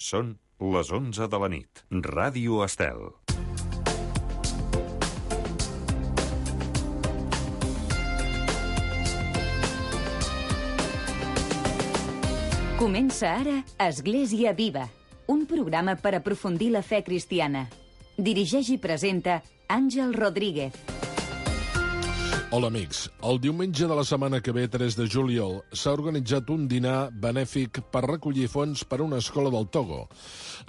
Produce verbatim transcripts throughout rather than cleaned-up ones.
Són les onze de la nit. Ràdio Estel. Comença ara Església Viva, un programa per aprofundir la fe cristiana. Dirigeix i presenta Àngel Rodríguez. Hola, amics. El diumenge de la setmana que ve, tres de juliol, s'ha organitzat un dinar benèfic per recollir fons per a una escola del Togo.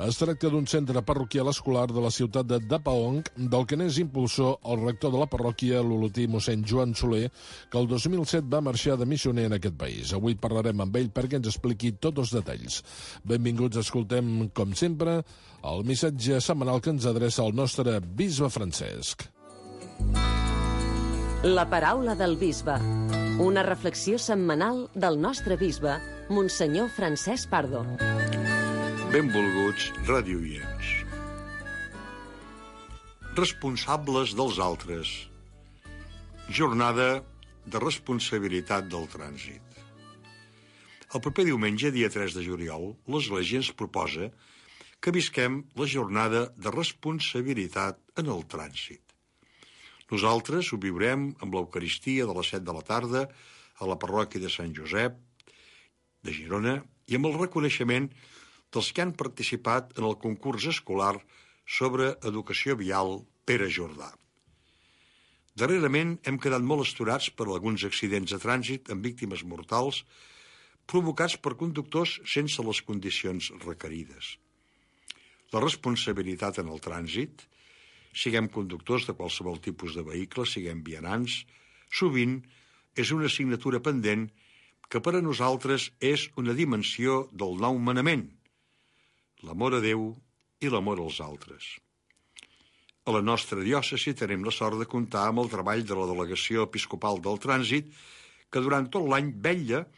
Es tracta d'un centre parroquial escolar de la ciutat de Dapaong, del que n'és impulsor el rector de la parròquia, l'olotí mossèn Joan Soler, que el dos mil set va marxar de missioner en aquest país. Avui parlarem amb ell perquè ens expliqui tots els detalls. Benvinguts, escoltem, com sempre, el missatge setmanal que ens adreça el nostre bisbe Francesc. La paraula del bisbe. Una reflexió setmanal del nostre bisbe, Monsenyor Francesc Pardo. Benvolguts radioients. Responsables dels altres. Jornada de responsabilitat del trànsit. El proper diumenge, dia tres de juliol, l'Església ens proposa que visquem la jornada de responsabilitat en el trànsit. Nosaltres ho viurem amb l'Eucaristia de les set de la tarda a la parròquia de Sant Josep de Girona i amb el reconeixement dels que han participat en el concurs escolar sobre educació vial Pere Jordà. Darrerament hem quedat molt astorats per alguns accidents de trànsit amb víctimes mortals provocats per conductors sense les condicions requerides. La responsabilitat en el trànsit, siguem conductors de qualsevol tipus de vehicle, siguem vianants, sovint és una assignatura pendent que per a nosaltres és una dimensió del nou manament, l'amor a Déu i l'amor als altres. A la nostra diòcesi tenim la sort de comptar amb el treball de la Delegació Episcopal del Trànsit, que durant tot l'any vetlla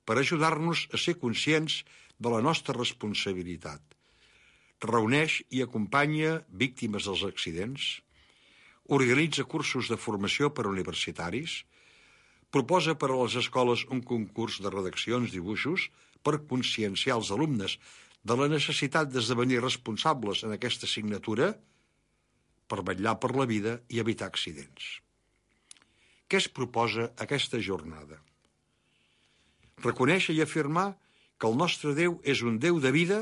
per ajudar-nos a ser conscients de la nostra responsabilitat. Reuneix i acompanya víctimes dels accidents, organitza cursos de formació per a universitaris, proposa per a les escoles un concurs de redaccions, dibuixos, per conscienciar els alumnes de la necessitat d'esdevenir responsables en aquesta assignatura per vetllar per la vida i evitar accidents. Què es proposa aquesta jornada? Reconèixer i afirmar que el nostre Déu és un Déu de vida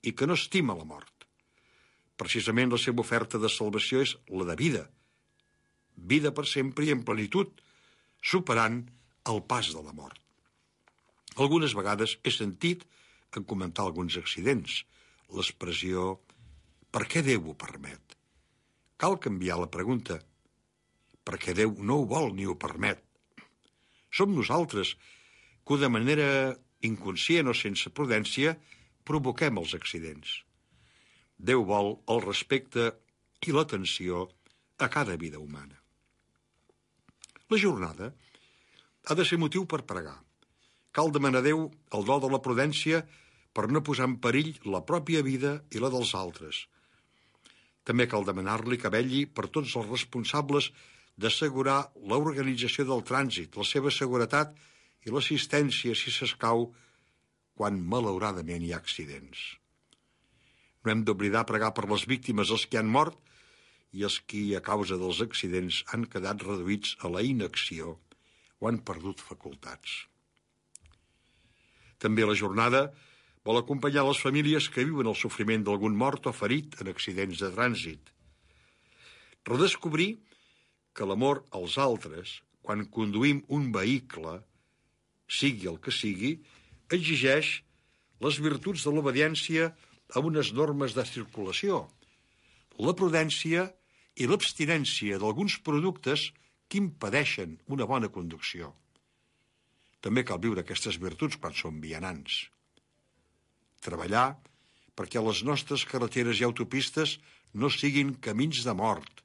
i que no estima la mort. Precisament la seva oferta de salvació és la de vida. Vida per sempre i en plenitud, superant el pas de la mort. Algunes vegades he sentit, en comentar alguns accidents, l'expressió «per què Déu ho permet?». Cal canviar la pregunta «per què Déu no ho vol ni ho permet?». Som nosaltres que de manera inconscient o sense prudència provoquem els accidents. Déu vol el respecte i l'atenció a cada vida humana. La jornada ha de ser motiu per pregar. Cal demanar a Déu el do de la prudència per no posar en perill la pròpia vida i la dels altres. També cal demanar-li que vetlli per tots els responsables d'assegurar l'organització del trànsit, la seva seguretat i l'assistència, si s'escau, quan malauradament hi ha accidents. No hem d'oblidar pregar per les víctimes, els que han mort i els qui, a causa dels accidents, han quedat reduïts a la inacció o han perdut facultats. També la jornada vol acompanyar les famílies que viuen el sofriment d'algun mort o ferit en accidents de trànsit. Redescobrir que l'amor als altres, quan conduïm un vehicle, sigui el que sigui, exigeix les virtuts de l'obediència a unes normes de circulació, la prudència i l'abstinència d'alguns productes que impedeixen una bona conducció. També cal viure aquestes virtuts quan som vianants. Treballar perquè les nostres carreteres i autopistes no siguin camins de mort,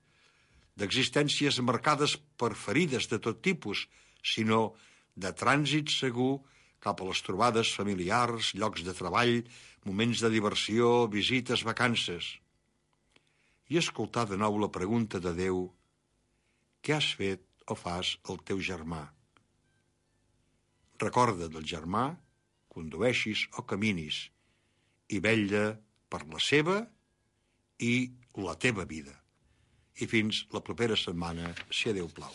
d'existències marcades per ferides de tot tipus, sinó de trànsit segur cap a les trobades familiars, llocs de treball, moments de diversió, visites, vacances. I escoltar de nou la pregunta de Déu: què has fet o fas al teu germà? Recorda del germà, condueixis o caminis, i vetlla per la seva i la teva vida. I fins la propera setmana, si a Déu plau.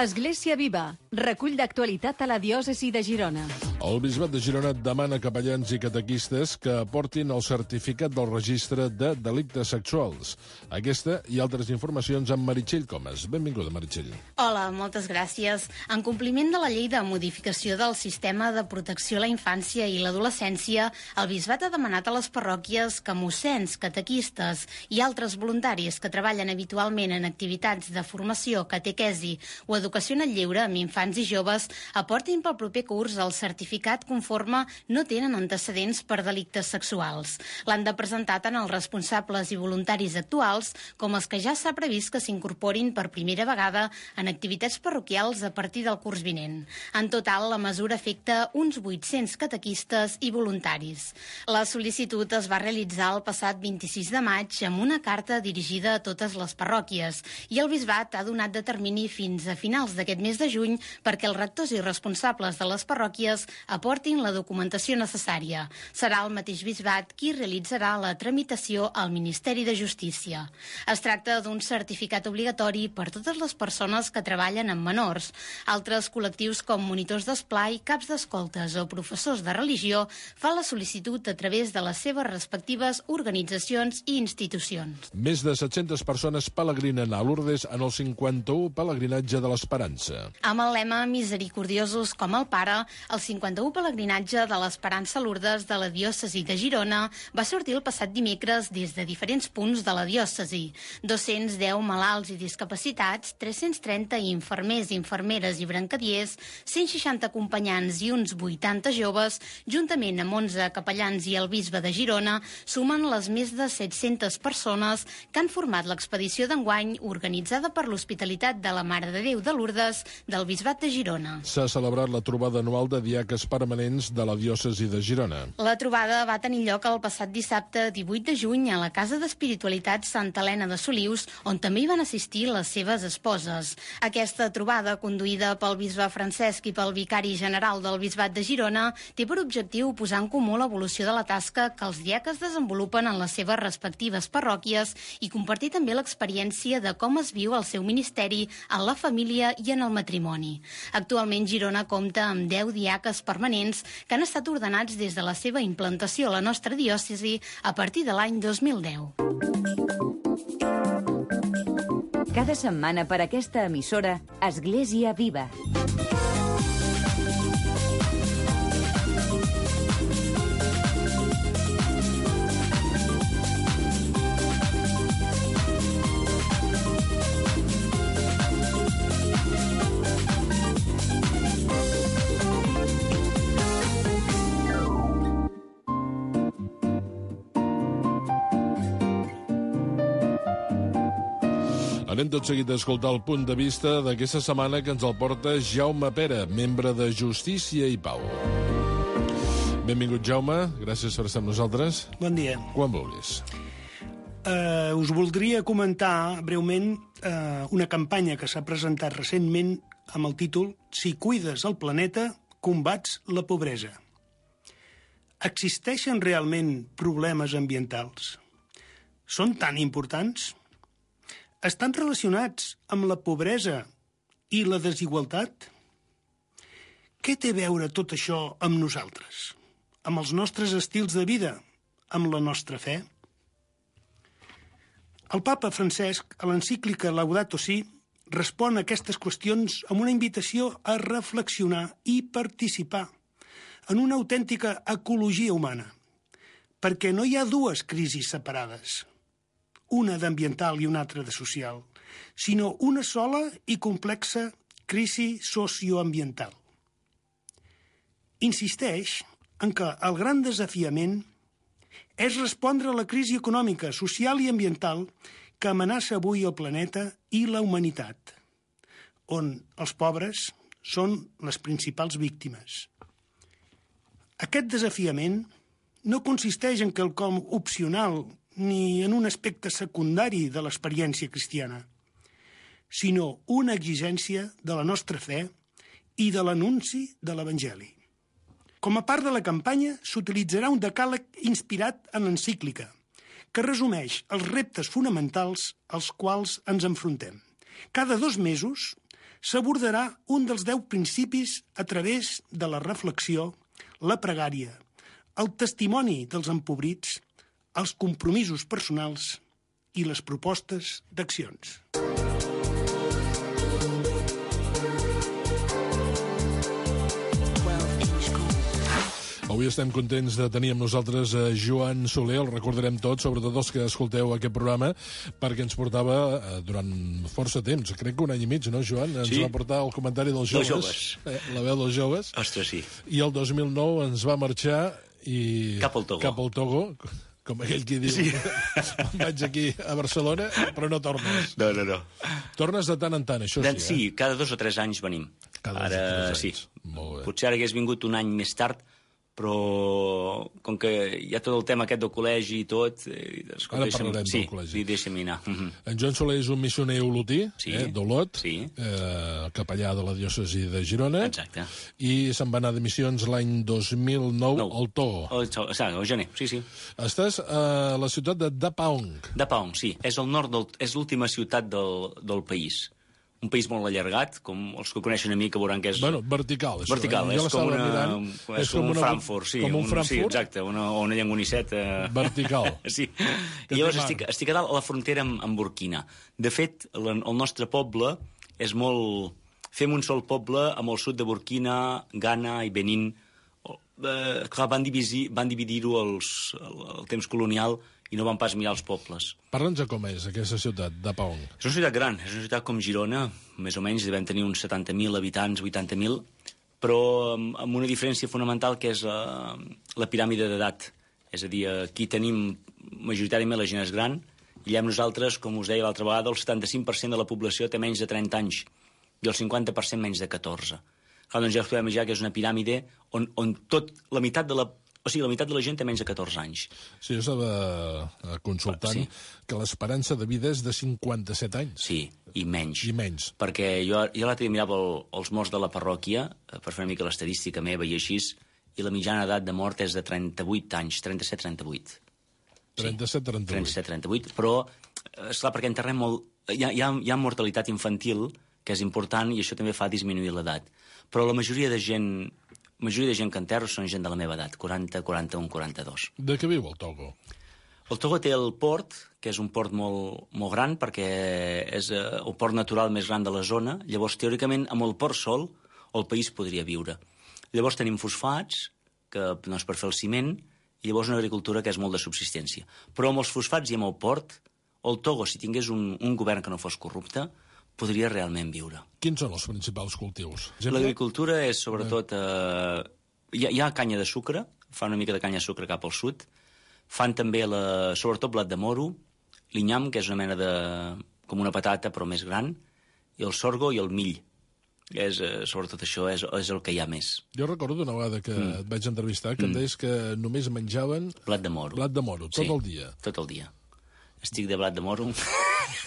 Església Viva, recull d'actualitat a la diòcesi de Girona. El Bisbat de Girona demana a capellans i catequistes que aportin el certificat del registre de delictes sexuals. Aquesta i altres informacions amb Meritxell Comas. Benvinguda, Meritxell. Hola, moltes gràcies. En compliment de la llei de modificació del sistema de protecció a la infància i l'adolescència, el Bisbat ha demanat a les parròquies que mossens, catequistes i altres voluntaris que treballen habitualment en activitats de formació, catequesi o educació en el lleure amb infants i joves aportin pel proper curs el certificat conforme no tenen antecedents per delictes sexuals. L'han de presentar tant els responsables i voluntaris actuals com els que ja s'ha previst que s'incorporin per primera vegada en activitats parroquials a partir del curs vinent. En total, la mesura afecta uns vuit-cents catequistes i voluntaris. La sol·licitud es va realitzar el passat vint-i-sis de maig amb una carta dirigida a totes les parròquies i el Bisbat ha donat de termini fins a finals d'aquest mes de juny perquè els rectors i responsables de les parròquies aportin la documentació necessària. Serà el mateix Bisbat qui realitzarà la tramitació al Ministeri de Justícia. Es tracta d'un certificat obligatori per totes les persones que treballen amb menors. Altres col·lectius com monitors d'esplai, caps d'escoltes o professors de religió fan la sol·licitud a través de les seves respectives organitzacions i institucions. Més de set-centes persones pelegrinen a Lourdes en el cinquanta-u pelegrinatge de l'Esperança. Amb el lema Misericordiosos com el Pare, el cinquanta-u pelegrinatge de l'Esperança a Lourdes de la diòcesi de Girona va sortir el passat dimecres des de diferents punts de la diòcesi. dos-cents deu malalts i discapacitats, tres-cents trenta infermers, infermeres i brancadiers, cent seixanta acompanyants i uns vuitanta joves, juntament amb onze capellans i el bisbe de Girona, sumen les més de set-centes persones que han format l'expedició d'enguany organitzada per l'Hospitalitat de la Mare de Déu de Lourdes del Bisbat de Girona. S'ha celebrat la trobada anual de diaques permanents de la diòcesi de Girona. La trobada va tenir lloc el passat dissabte divuit de juny a la Casa d'Espiritualitat Santa Helena de Solius, on també hi van assistir les seves esposes. Aquesta trobada, conduïda pel bisbe Francesc i pel vicari general del Bisbat de Girona, té per objectiu posar en comú l'evolució de la tasca que els diaques desenvolupen en les seves respectives parròquies i compartir també l'experiència de com es viu el seu ministeri en la família i en el matrimoni. Actualment Girona compta amb deu diaques permanents que han estat ordenats des de la seva implantació a la nostra diòcesi a partir de l'any dos mil deu. Cada setmana per aquesta emissora, Església Viva. Anem tot seguit a escoltar el punt de vista d'aquesta setmana que ens el porta Jaume Pera, membre de Justícia i Pau. Benvingut, Jaume. Gràcies per estar amb nosaltres. Bon dia. Quan vulguis. Uh, us voldria comentar breument uh, una campanya que s'ha presentat recentment amb el títol Si cuides el planeta, combats la pobresa. Existeixen realment problemes ambientals? Són tan importants? Estan relacionats amb la pobresa i la desigualtat? Què té a veure tot això amb nosaltres? Amb els nostres estils de vida? Amb la nostra fe? El papa Francesc, a l'encíclica Laudato Si, respon a aquestes qüestions amb una invitació a reflexionar i participar en una autèntica ecologia humana, perquè no hi ha dues crisis separades, una d'ambiental i una altra de social, sinó una sola i complexa crisi socioambiental. Insisteix en que el gran desafiament és respondre a la crisi econòmica, social i ambiental que amenaça avui el planeta i la humanitat, on els pobres són les principals víctimes. Aquest desafiament no consisteix en quelcom opcional ni en un aspecte secundari de l'experiència cristiana. sinó una exigència de la nostra fe i de l'anunci de l'Evangeli. Com a part de la campanya, s'utilitzarà un decàleg inspirat en l'encíclica, que resumeix els reptes fonamentals als quals ens enfrontem. Cada dos mesos s'abordarà un dels deu principis a través de la reflexió, la pregària, el testimoni dels empobrits, els compromisos personals i les propostes d'accions. Avui estem contents de tenir amb nosaltres a Joan Soler, el recordarem tots, sobretot els que escolteu aquest programa, perquè ens portava eh, durant força temps, crec que un any i mig, no, Joan? Ens sí. va portar el comentari dels joves, joves. Eh, la veu dels joves. Ostres, sí. I el dos mil nou ens va marxar i... Cap al Togo. Cap al Togo, com aquell qui diu, sí. Vaig aquí a Barcelona, però no tornes. No, no, no. Tornes de tant en tant, això sí, eh? Sí, cada dos o tres anys venim. Cada ara, dos o tres anys. Sí. Molt bé. Potser ara hagués vingut un any més tard, però com que hi ha tot el tema aquest del col·legi i tot... Eh, escolta, ara deixa'm, parlarem sí, del col·legi. Sí, deixa'm anar. Uh -huh. En Joan Soler és un missioner olotí, sí. eh, d'Olot, sí. eh, capellà de la diòcesi de Girona. Exacte. I se'n va anar de missions l'any dos mil nou no. al Togo. O, o, o gener, sí, sí. Estàs a la ciutat de Dapaong. Dapaong, sí. És el nord del, és l'última ciutat del, del país. Un país molt allargat, com els que coneixen a mi, que veuran que és... Bueno, vertical, això. Vertical, eh? és, com una, mirant, és, és com un una, Frankfurt, sí. Com un, un Frankfurt? Sí, Frankfurt? exacte, una, una llengoniceta... Vertical. Sí. I llavors estic, estic a dalt a la frontera amb, amb Burkina. De fet, el, el nostre poble és molt... Fem un sol poble amb el sud de Burkina, Ghana i Benin. Eh, clar, van dividir-ho van dividir els, el, el temps colonial i no van pas mirar els pobles. Parla'ns com és aquesta ciutat, Dapaong. És una ciutat gran, és una ciutat com Girona, més o menys devem tenir uns setanta mil habitants, vuitanta mil, però amb una diferència fonamental que és la, la piràmide d'edat. És a dir, aquí tenim majoritàriament la gent és gran, i allà nosaltres, com us deia l'altra vegada, el setanta-cinc per cent de la població té menys de trenta anys i el cinquanta per cent menys de catorze. Clar, doncs ja us podem imaginar que és una piràmide on, on tot, la meitat de la O sigui, la meitat de la gent té menys de catorze anys. Sí, jo estava consultant sí. que l'esperança de vida és de cinquanta-set anys. Sí, i menys. I menys. Perquè jo, jo l'altre dia mirava el, els morts de la parròquia, per fer una mica l'estadística meva i així, i la mitjana edat de mort és de trenta-vuit anys, trenta-set trenta-vuit. trenta-set trenta-vuit. Sí, trenta-set trenta-vuit, però, esclar, perquè enterrem molt... Hi ha, hi ha, hi ha mortalitat infantil, que és important, i això també fa disminuir l'edat. Però la majoria de gent... La majoria de gent que enterro són gent de la meva edat, quaranta, quaranta-un, quaranta-dos. De què viu el Togo? El Togo té el port, que és un port molt, molt gran, perquè és el port natural més gran de la zona. Llavors, teòricament, amb el port sol, el país podria viure. Llavors tenim fosfats, que no és per fer el ciment, i llavors una agricultura que és molt de subsistència. Però amb els fosfats i amb el port, el Togo, si tingués un, un govern que no fos corrupte, podria realment viure. Quins són els principals cultius? L'agricultura és, sobretot... Eh, hi, ha, hi ha canya de sucre, fan una mica de canya de sucre cap al sud, fan també, la, sobretot, blat de moro, l'inyam, que és una mena de... com una patata, però més gran, i el sorgo i el mill. És, eh, sobretot això és, és el que hi ha més. Jo recordo una vegada que mm. et vaig entrevistar que mm. em deies que només menjaven... Blat de moro. Blat de moro, tot sí, el dia. tot el dia. Estic de blat de moro.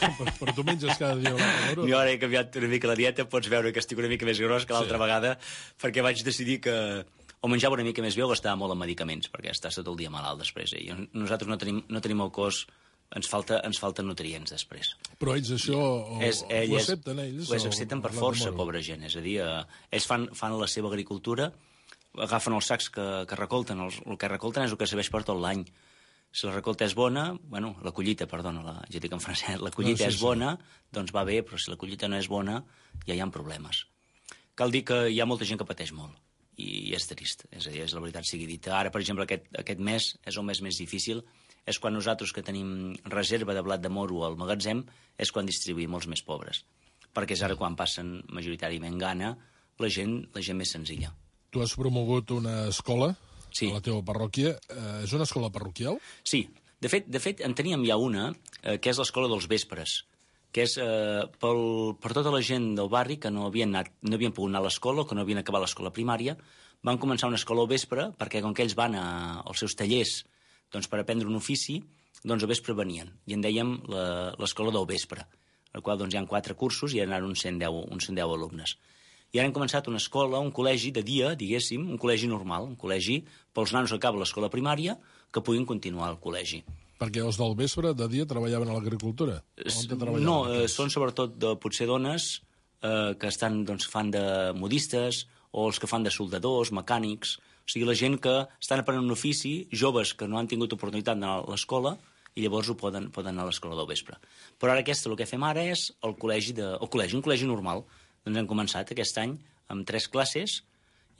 però, però tu menges cada dia blat de moro? Jo ara he canviat una mica la dieta, pots veure que estic una mica més gros que l'altra sí. vegada, perquè vaig decidir que o menjava una mica més bé o gastava molt en medicaments, perquè estàs tot el dia malalt després. Eh? I nosaltres no tenim, no tenim el cos, ens, falta, ens falten nutrients després. Però ells això o, és, ell ho accepten, ells? Ho accepten per força, pobra gent. És a dir, eh, ells fan, fan la seva agricultura, agafen els sacs que, que recolten, els, el que recolten és el que serveix per tot l'any. Si la recolta és bona, bueno, la collita, perdona, la, jo dic en francès, la collita no, sí, és bona, sí. doncs va bé, però si la collita no és bona, ja hi ha problemes. Cal dir que hi ha molta gent que pateix molt, i, i és trist, és a dir, és la veritat sigui dita. Ara, per exemple, aquest, aquest mes és el mes més difícil, és quan nosaltres que tenim reserva de blat de moro al magatzem, és quan distribuïm els més pobres, perquè és ara quan passen majoritàriament gana la gent, la gent més senzilla. Tu has promogut una escola? Sí. A la teva parròquia. Eh, és una escola parroquial? Sí. De fet, de fet en teníem ja una, eh, que és l'escola dels vespres, que és eh, pel, per tota la gent del barri que no havien, anat, no havien pogut anar a l'escola o que no havien acabat l'escola primària, van començar una escola al vespre, perquè com que ells van a, als seus tallers doncs, per aprendre un ofici, doncs al vespre venien. I en dèiem l'escola del vespre. en el qual doncs, hi ha quatre cursos i hi ha uns cent deu, uns cent deu alumnes. I ara hem començat una escola, un col·legi de dia, diguéssim, un col·legi normal, un col·legi pels nanos que acaben l'escola primària que puguin continuar al col·legi. Perquè els del vespre, de dia, treballaven a l'agricultura? No, eh, són sobretot de, potser dones eh, que estan, doncs, fan de modistes o els que fan de soldadors, mecànics. O sigui, la gent que estan aprenent un ofici, joves que no han tingut oportunitat d'anar a l'escola i llavors ho poden, poden anar a l'escola del vespre. Però ara aquesta, el que fem ara és el col·legi, de, el col·legi un col·legi normal. Doncs hem començat aquest any amb tres classes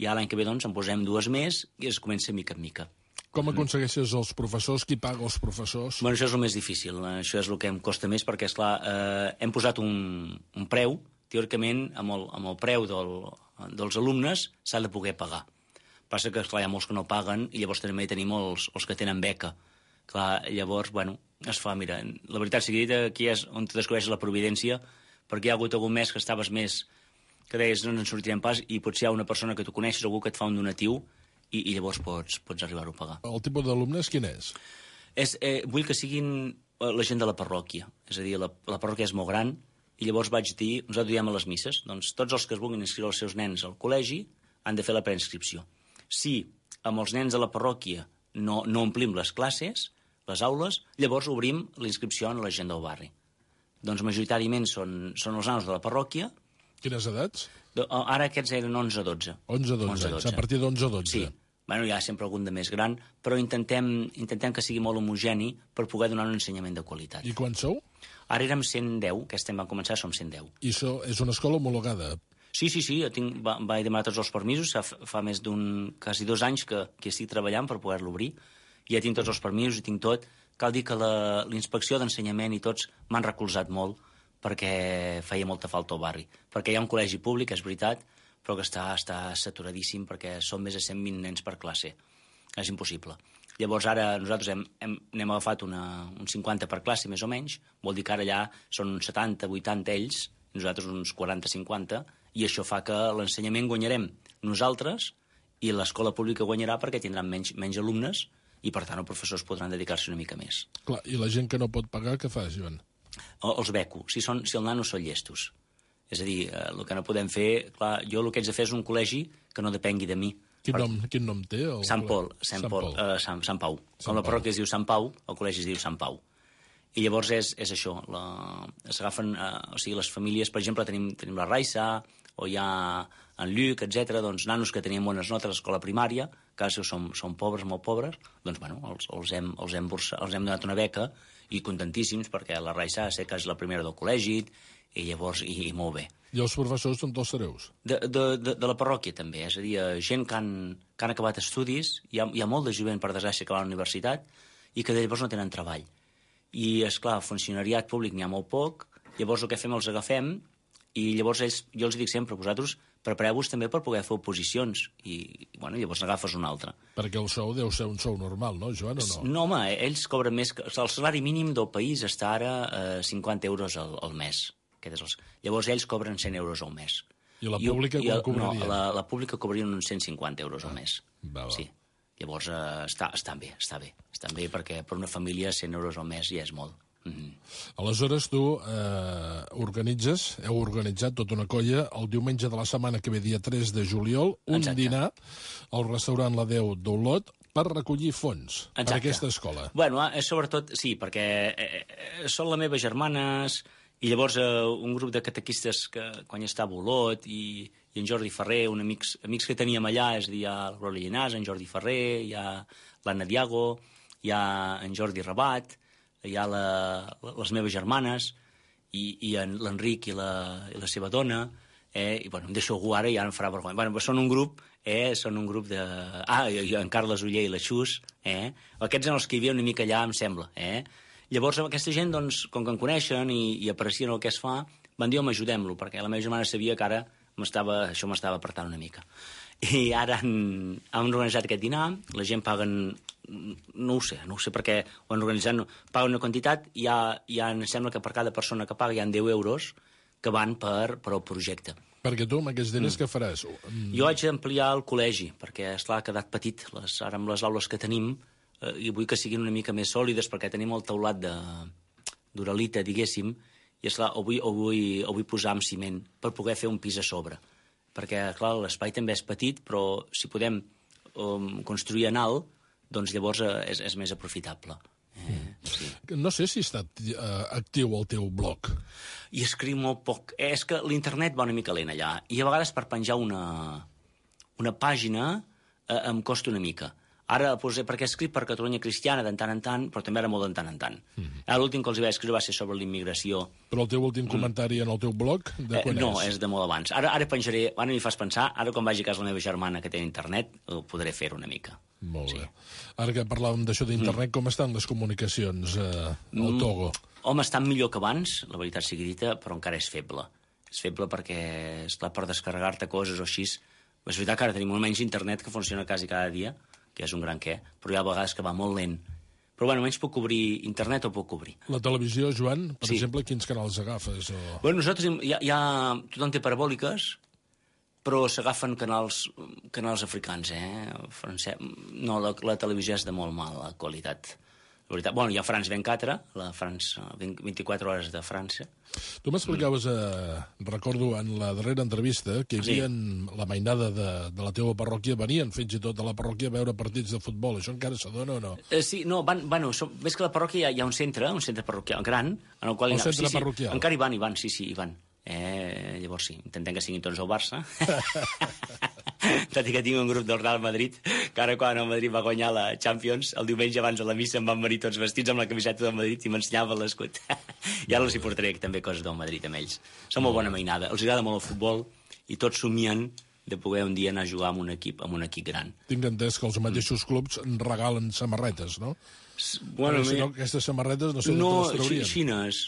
i l'any que ve doncs, en posem dues més i es comença mica en mica. Com aconsegueixes els professors? Qui paga els professors? Bueno, això és el més difícil. Això és el que em costa més perquè, esclar, eh, hem posat un, un preu, teòricament, amb el, amb el preu del, dels alumnes s'ha de poder pagar. Passa que, esclar, hi ha molts que no paguen i llavors també tenim els, els que tenen beca. Clar, llavors, bueno, es fa, mira, la veritat sigui dita, aquí és on te descobreixes la providència, perquè hi ha hagut algun mes que estaves més, que deies no ens en sortirem pas, i potser hi ha una persona que tu coneixes, algú que et fa un donatiu, i, i llavors pots, pots arribar-ho a pagar. El tipus d'alumnes quin és? és eh, vull que siguin la gent de la parròquia, és a dir, la, la parròquia és molt gran, i llavors vaig dir, nosaltres diem a les misses, doncs tots els que es vulguin inscriure els seus nens al col·legi han de fer la preinscripció. Si amb els nens de la parròquia no, no omplim les classes, les aules, llavors obrim l'inscripció a la gent del barri. Doncs majoritàriament són, són els nanos de la parròquia. Quines edats? De, ara aquests eren onze a dotze. onze a dotze, a partir d'onze a dotze. Sí. Bueno, hi ha sempre algun de més gran, però intentem, intentem que sigui molt homogeni per poder donar un ensenyament de qualitat. I quants sou? Ara érem cent deu, aquest any vam començar, som cent deu. I això és una escola homologada? Sí, sí, sí, jo tinc, va, vaig demanar tots els permisos, fa, fa més d'un, quasi dos anys que, que estic treballant per poder-lo obrir, i ja tinc tots els permisos i tinc tot. Cal dir que la, la inspecció d'ensenyament i tots m'han recolzat molt perquè feia molta falta al barri. Perquè hi ha un col·legi públic, és veritat, però que està, està saturadíssim perquè són més de cent vint nens per classe. És impossible. Llavors ara nosaltres hem, hem, n'hem agafat una, un cinquanta per classe, més o menys, vol dir que ara allà són uns setanta, vuitanta ells, nosaltres uns quaranta, cinquanta, i això fa que l'ensenyament guanyarem nosaltres i l'escola pública guanyarà perquè tindran menys, menys alumnes i, per tant, els professors podran dedicar-se una mica més. Clar, i la gent que no pot pagar, què fa, Joan? O, els beco, si, són, si el nano són llestos. És a dir, eh, el que no podem fer... Clar, jo el que haig de fer és un col·legi que no depengui de mi. Quin, per... nom, quin nom té? El... Sant Pol, Sant, Sant, Pol, Pol. Uh, Sant, Sant Pau. Sant Com la parròquia es diu Sant Pau, el col·legi es diu Sant Pau. I llavors és, és això, la... s'agafen, uh, o sigui, les famílies, per exemple, tenim, tenim la Raissa, o hi ha en Lluc, etcètera, doncs nanos que tenien bones notes a l'escola primària, que ara som, som pobres, molt pobres, doncs bueno, els, els, hem, els, hem bursa, els hem donat una beca i contentíssims perquè la Raissa sé que és la primera del col·legi i llavors, i, i molt bé. I els professors són tots hereus? De, de, de, de la parròquia també, és a dir, gent que han, que han acabat estudis, hi ha, hi ha molt de jovent per desgràcia que va a la universitat i que llavors no tenen treball. I, és clar, funcionariat públic n'hi ha molt poc, llavors el que fem els agafem i llavors ells, jo els dic sempre, vosaltres prepareu-vos també per poder fer oposicions i, bueno, llavors n'agafes un altre. Perquè el sou deu ser un sou normal, no, Joan, o no? No, home, ells cobren més... Que, el salari mínim del país està ara a eh, cinquanta euros al, al mes. Aquest és el, llavors ells cobren cent euros al mes. I la pública I, quan i, cobraria? No, la, la pública cobraria uns cent cinquanta euros al mes. Va, va. Sí. Llavors eh, està, està bé, està bé. Està bé perquè per una família cent euros al mes ja és molt. Mm-hmm. Aleshores tu eh, organitzes, heu organitzat tota una colla el diumenge de la setmana que ve, dia tres de juliol, un Exacte. dinar al restaurant La Déu d'Olot per recollir fons Exacte. per a aquesta escola. Bueno, eh, sobretot, sí, perquè eh, eh, són les meves germanes i llavors eh, un grup de catequistes que quan hi estava Olot i, i en Jordi Ferrer, un amics, amics que teníem allà, és a dir, hi ha el Roli Llinàs, en Jordi Ferrer, hi ha l'Anna Diago, hi ha en Jordi Rabat, hi ha la, les meves germanes i, i l'Enric i, la, i la seva dona, eh, i bueno, em deixo algú ara i ara em farà vergonya. Bueno, són un grup, eh, són un grup de... Ah, i, i en Carles Uller i la Xus, eh? Aquests eren els que hi havia una mica allà, em sembla, eh? Llavors, aquesta gent, doncs, com que em coneixen i, i aprecien el que es fa, van dir, home, ajudem-lo, perquè la meva germana sabia que ara això m'estava apretant una mica. I ara han, han organitzat aquest dinar, la gent paguen, no ho sé, no ho sé perquè ho han organitzat, no, paguen una quantitat i hi ha, hi ha, em sembla que per cada persona que paga hi ha deu euros que van per, per al projecte. Perquè tu amb aquests diners Mm. què faràs? Mm. Jo haig d'ampliar el col·legi, perquè, esclar, ha quedat petit. Les, ara amb les aules que tenim, eh, i vull que siguin una mica més sòlides, perquè tenim el teulat de d'uralita, diguéssim, i esclar, ho vull, ho, vull, ho vull posar amb ciment per poder fer un pis a sobre. Perquè, clar, l'espai també és petit, però si podem um, construir en alt, doncs llavors és, és més aprofitable. Eh, sí. No sé si està uh, actiu el teu blog. I escriu molt poc. Eh, és que l'internet va una mica lent allà, i a vegades per penjar una, una pàgina eh, em costa una mica. Ara, doncs, perquè he escrit per Catalunya Cristiana de tant en tant, però també era molt de tant en tant. Mm. Ara l'últim que els vaig escriure va ser sobre l'immigració. Però el teu últim comentari mm. en el teu blog, de quan eh, no, és? és de molt abans. Ara, ara penjaré, ara m'hi fas pensar, ara quan vagi a casa la meva germana que té internet, ho podré fer una mica. Molt sí. bé. Ara que parlàvem d'això d'internet, mm. com estan les comunicacions eh, al Togo? Mm, home, estan millor que abans, la veritat sigui dita, però encara és feble. És feble perquè, esclar, per descarregar-te coses o així... És veritat que ara tenim almenys internet que funciona quasi cada dia, que és un gran què, però hi ha vegades que va molt lent. Però, bueno, almenys puc cobrir internet o puc cobrir. La televisió, Joan, per sí. exemple, quins canals agafes? O... Bueno, nosaltres, hi ha, hi ha... tothom té parabòliques, però s'agafen canals, canals africans, eh? Francès... No, la, la televisió és de molt mala qualitat. La veritat, bueno, hi ha France vint-i-quatre, la France, vint-i-quatre hores de França. Tu m'explicaves, eh, recordo, en la darrera entrevista, que hi havia sí. la mainada de, de la teva parròquia, venien fins i tot a la parròquia a veure partits de futbol. Això encara s'adona o no? Eh, sí, no, van, bueno, som, més que la parròquia hi ha, hi ha un centre, un centre parroquial gran, en el qual... El centre sí, sí, parroquial? Encara hi van, hi van, sí, sí, hi van. Eh, llavors sí, intentem que siguin tots al Barça. Tot i que tinc un grup del Real Madrid, que ara quan el Madrid va guanyar la Champions, el diumenge abans de la missa em van venir tots vestits amb la camiseta del Madrid i m'ensenyava l'escut. I ara els hi portaré també coses del Madrid amb ells. Són molt bona mainada, els agrada molt el futbol i tots somien de poder un dia anar a jugar amb un equip, amb un equip gran. Tinc entès que els mateixos clubs regalen samarretes, no? Bueno, Perquè, si no, aquestes samarretes no sé no, d'on les traurien. xines.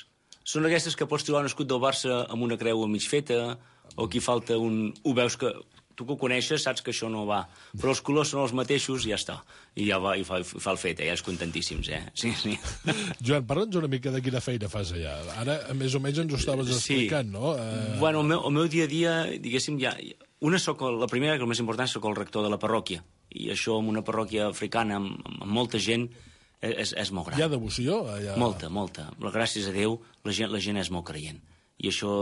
Són aquestes que pots trobar un escut del Barça amb una creu a mig feta, o aquí falta un... Ho veus que... Tu que ho coneixes saps que això no va. Però els colors són els mateixos i ja està. I ja va, i fa, fa el fet, eh? Ja és contentíssims, eh? Sí, sí. Joan, parla'ns una mica de quina feina fas allà. Ara, més o menys, ens ho estaves explicant, sí. no? Uh... Bueno, el meu, el meu dia a dia, diguéssim, ja... Una soc, la primera, que el més important, soc el rector de la parròquia. I això, en una parròquia africana, amb, amb molta gent, és, és molt gran. Hi ha devoció? Allà... Molta, molta. Gràcies a Déu, la gent, la gent és molt creient. I això,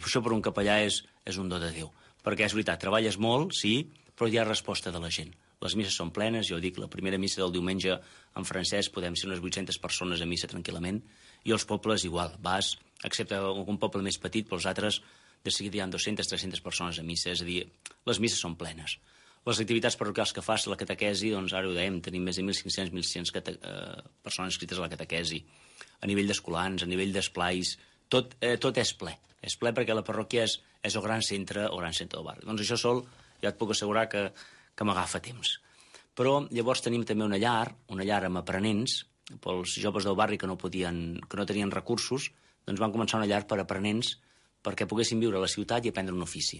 això per un capellà és, és un do de Déu. Perquè és veritat, treballes molt, sí, però hi ha resposta de la gent. Les misses són plenes, jo dic, la primera missa del diumenge en francès podem ser unes vuit-centes persones a missa tranquil·lament, i els pobles igual, vas, excepte algun poble més petit, però els altres de seguida hi ha dues-centes tres-centes persones a missa, és a dir, les misses són plenes. Les activitats parroquials que fas, la catequesi, doncs ara ho dèiem, tenim més de mil cinc-cents mil sis-cents eh, persones inscrites a la catequesi, a nivell d'escolans, a nivell d'esplais, tot, eh, tot és ple. És ple perquè la parròquia és, és el gran centre, el gran centre del barri. Doncs això sol, ja et puc assegurar que, que m'agafa temps. Però llavors tenim també una llar, una llar amb aprenents, pels joves del barri que no podien, que no tenien recursos, doncs van començar una llar per aprenents perquè poguessin viure a la ciutat i aprendre un ofici.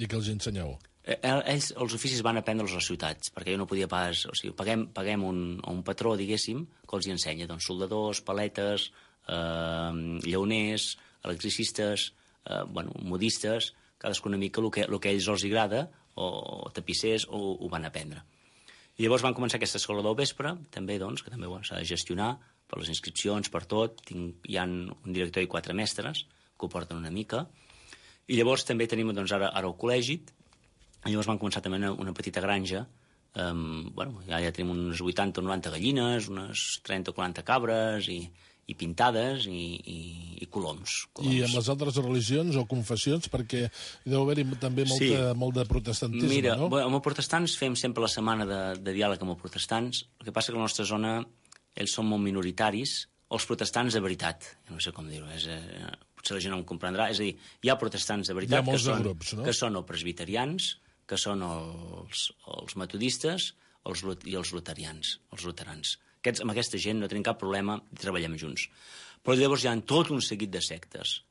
I què els ensenyeu? Eh, ells, els oficis van aprendre-los a les ciutats, perquè jo no podia pas... O sigui, paguem, paguem un, un patró, diguéssim, que els hi ensenya, doncs, soldadors, paletes, eh, llauners, electricistes, eh, bueno, modistes, cadascú una mica el que, el que a ells els agrada, o, o tapissers, o ho van aprendre. I llavors van començar aquesta escola del vespre, també, doncs, que també s'ha de gestionar per les inscripcions, per tot. Tinc, hi ha un director i quatre mestres que ho porten una mica. I llavors també tenim, doncs, ara, ara el col·legi, i llavors van començar també una, una petita granja. Um, bueno, ja, ja tenim unes vuitanta o noranta gallines, unes trenta o quaranta cabres, i... i pintades i, i, i coloms, coloms. I amb les altres religions o confessions, perquè deu haver-hi també molta, sí. molt de protestantisme, Mira, no? Mira, amb els protestants fem sempre la setmana de, de diàleg amb els protestants. El que passa que a la nostra zona ells són molt minoritaris, els protestants de veritat, no sé com dir-ho, és, eh, potser la gent no em comprendrà, és a dir, hi ha protestants de veritat que són, grups, no? que són els presbiterians, que són els, els metodistes els, i els luterians, els luterans. Aquests, amb aquesta gent no tenim cap problema i treballem junts. Però llavors hi ha tot un seguit de sectes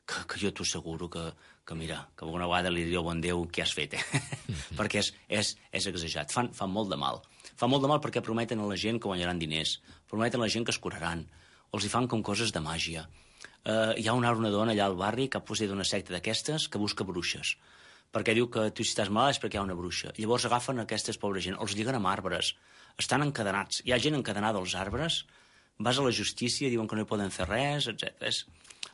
que, que jo t'ho asseguro que, que, mira, que alguna vegada li diria al bon Déu què has fet, eh? Mm-hmm. Perquè és, és, és exagerat. Fan, fan molt de mal. Fan molt de mal perquè prometen a la gent que guanyaran diners, prometen a la gent que es curaran, els hi fan com coses de màgia. Uh, hi ha una, una dona allà al barri que ha posat una secta d'aquestes que busca bruixes, perquè diu que tu si estàs malalt és perquè hi ha una bruixa. Llavors agafen aquestes pobres gent, els lliguen amb arbres, estan encadenats. Hi ha gent encadenada als arbres, vas a la justícia, diuen que no hi poden fer res, etcètera. És...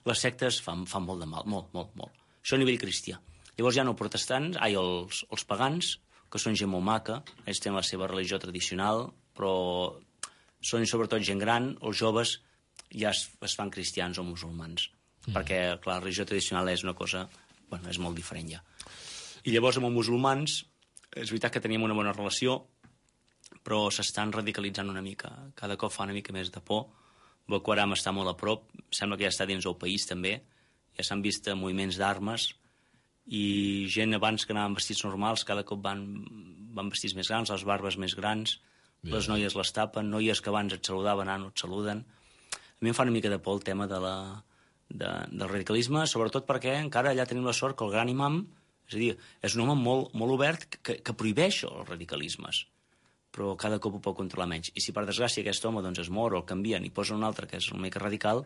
les sectes fan, fan molt de mal, molt, molt, molt. Això a nivell cristià. Llavors hi ha els protestants, ai, els, els pagans, que són gent molt maca, ells tenen la seva religió tradicional, però són sobretot gent gran, els joves ja es, es fan cristians o musulmans, mm. perquè, clar, la religió tradicional és una cosa, bueno, és molt diferent ja. I llavors amb els musulmans, és veritat que teníem una bona relació, però s'estan radicalitzant una mica, cada cop fa una mica més de por. Boko Haram està molt a prop, sembla que ja està dins del país també, ja s'han vist moviments d'armes, i gent abans que anaven vestits normals cada cop van, van vestits més grans, les barbes més grans, yeah. Les noies les tapen, noies que abans et saludaven ara no et saluden. A mi em fa una mica de por el tema de la, de, del radicalisme, sobretot perquè encara allà tenim la sort que el gran imam, és a dir, és un home molt, molt obert que, que prohibeix els radicalismes, però cada cop ho pot controlar menys. I si per desgràcia aquest home doncs, es mor o el canvien i posen un altre que és una mica radical,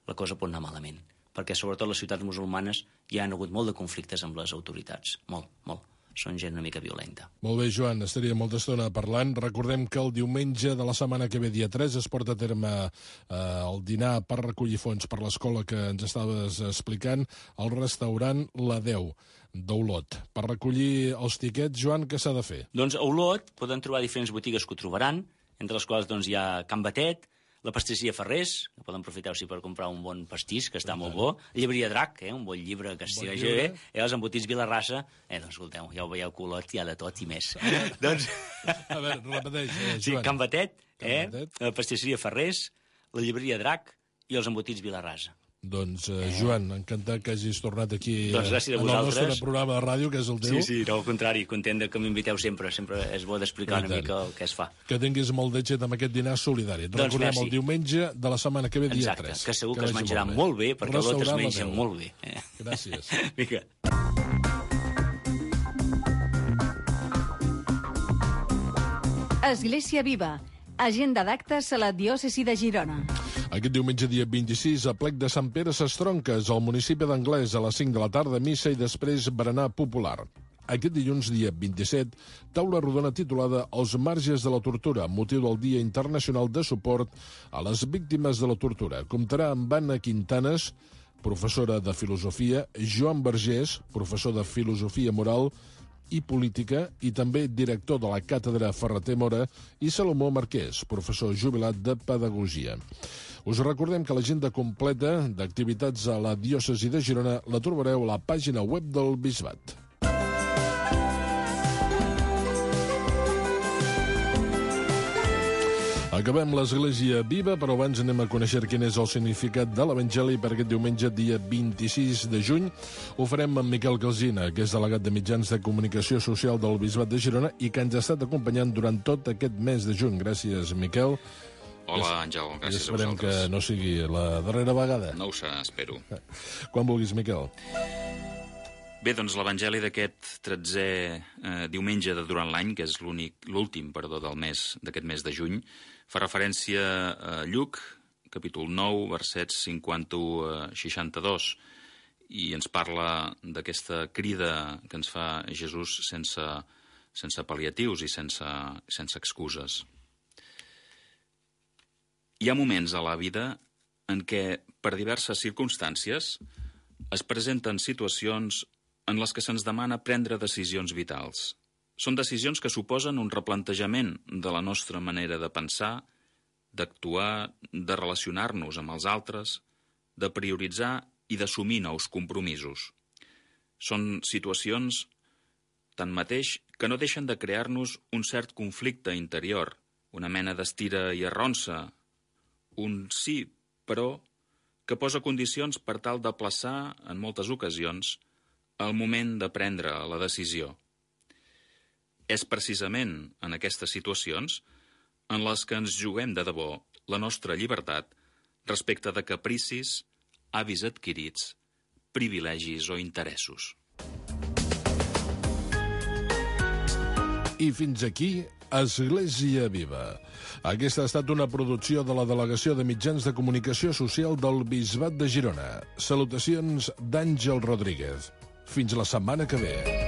la cosa pot anar malament. Perquè sobretot les ciutats musulmanes hi han hagut molt de conflictes amb les autoritats. Molt, molt. Són gent una mica violenta. Molt bé, Joan, estaria molta estona parlant. Recordem que el diumenge de la setmana que ve, dia tres, es porta a terme eh, el dinar per recollir fons per l'escola que ens estaves explicant, al restaurant La Deu d'Olot. Per recollir els tiquets, Joan, què s'ha de fer? Doncs a Olot poden trobar diferents botigues que ho trobaran, entre les quals doncs, hi ha Can Batet, la pastisseria Ferrés, que poden aprofitar per comprar un bon pastís, que està molt bo. La llibreria Drac, eh, un bon llibre que s'hi vegi bé. I els embotits Vilarrasa, eh, doncs escolteu, ja ho veieu que Olot hi ha de tot i més. doncs... A veure, repeteix, eh, Joan. Sí, Can Batet, Can eh, Batet. la pastisseria Ferrés, la llibreria Drac i els embotits Vilarrasa. Doncs, eh, Joan, encantat que hagis tornat aquí doncs gràcies a en el vosaltres. nostre programa de ràdio, que és el teu. Sí, sí, no, al contrari, content que m'inviteu sempre. Sempre és bo d'explicar una mica el que es fa. Que tinguis molt d'èxit amb aquest dinar solidari. Et doncs recordem merci. El diumenge de la setmana que ve, dia Exacte, tres. que segur que, que es menjarà molt bé, molt bé perquè l'Olot es menja molt bé. Eh? Gràcies. Vinga. Església Viva. Agenda d'actes a la diòcesi de Girona. Aquest diumenge, dia vint-i-sis, a Plec de Sant Pere Sestronques, al municipi d'Anglès, a les cinc de la tarda, missa i després berenar popular. Aquest dilluns, dia vint-i-set, taula rodona titulada Els marges de la tortura, motiu del Dia Internacional de Suport a les Víctimes de la Tortura. Comptarà amb Anna Quintanes, professora de Filosofia, Joan Vergés, professor de Filosofia Moral i Política, i també director de la Càtedra Ferrater Mora, i Salomó Marquès, professor jubilat de Pedagogia. Us recordem que l'agenda completa d'activitats a la diòcesi de Girona la trobareu a la pàgina web del Bisbat. Acabem l'Església Viva, però abans anem a conèixer quin és el significat de l'Evangeli per aquest diumenge, dia vint-i-sis de juny. Ho farem amb Miquel Calsina, que és delegat de Mitjans de Comunicació Social del Bisbat de Girona i que ens ha estat acompanyant durant tot aquest mes de juny. Gràcies, Miquel. Hola, Àngel, gràcies a vosaltres. Esperem que no sigui la darrera vegada. No ho serà, espero. Quan vulguis, Miquel. Bé, doncs l'Evangeli d'aquest tretzè eh, diumenge de durant l'any, que és l'últim, perdó, del mes d'aquest mes de juny, fa referència a Lluc, capítol nou, versets cinquanta-u a seixanta-dos, i ens parla d'aquesta crida que ens fa Jesús sense, sense pal·liatius i sense, sense excuses. Hi ha moments a la vida en què, per diverses circumstàncies, es presenten situacions en les que se'ns demana prendre decisions vitals. Són decisions que suposen un replantejament de la nostra manera de pensar, d'actuar, de relacionar-nos amb els altres, de prioritzar i d'assumir nous compromisos. Són situacions, tanmateix, que no deixen de crear-nos un cert conflicte interior, una mena d'estira i arronsa, un sí, però, que posa condicions per tal de plaçar, en moltes ocasions, el moment de prendre la decisió. És precisament en aquestes situacions en les que ens juguem de debò la nostra llibertat respecte de capricis, hàbits adquirits, privilegis o interessos. I fins aquí, Església Viva. Aquesta ha estat una producció de la Delegació de Mitjans de Comunicació Social del Bisbat de Girona. Salutacions d'Àngel Rodríguez. Fins la setmana que ve.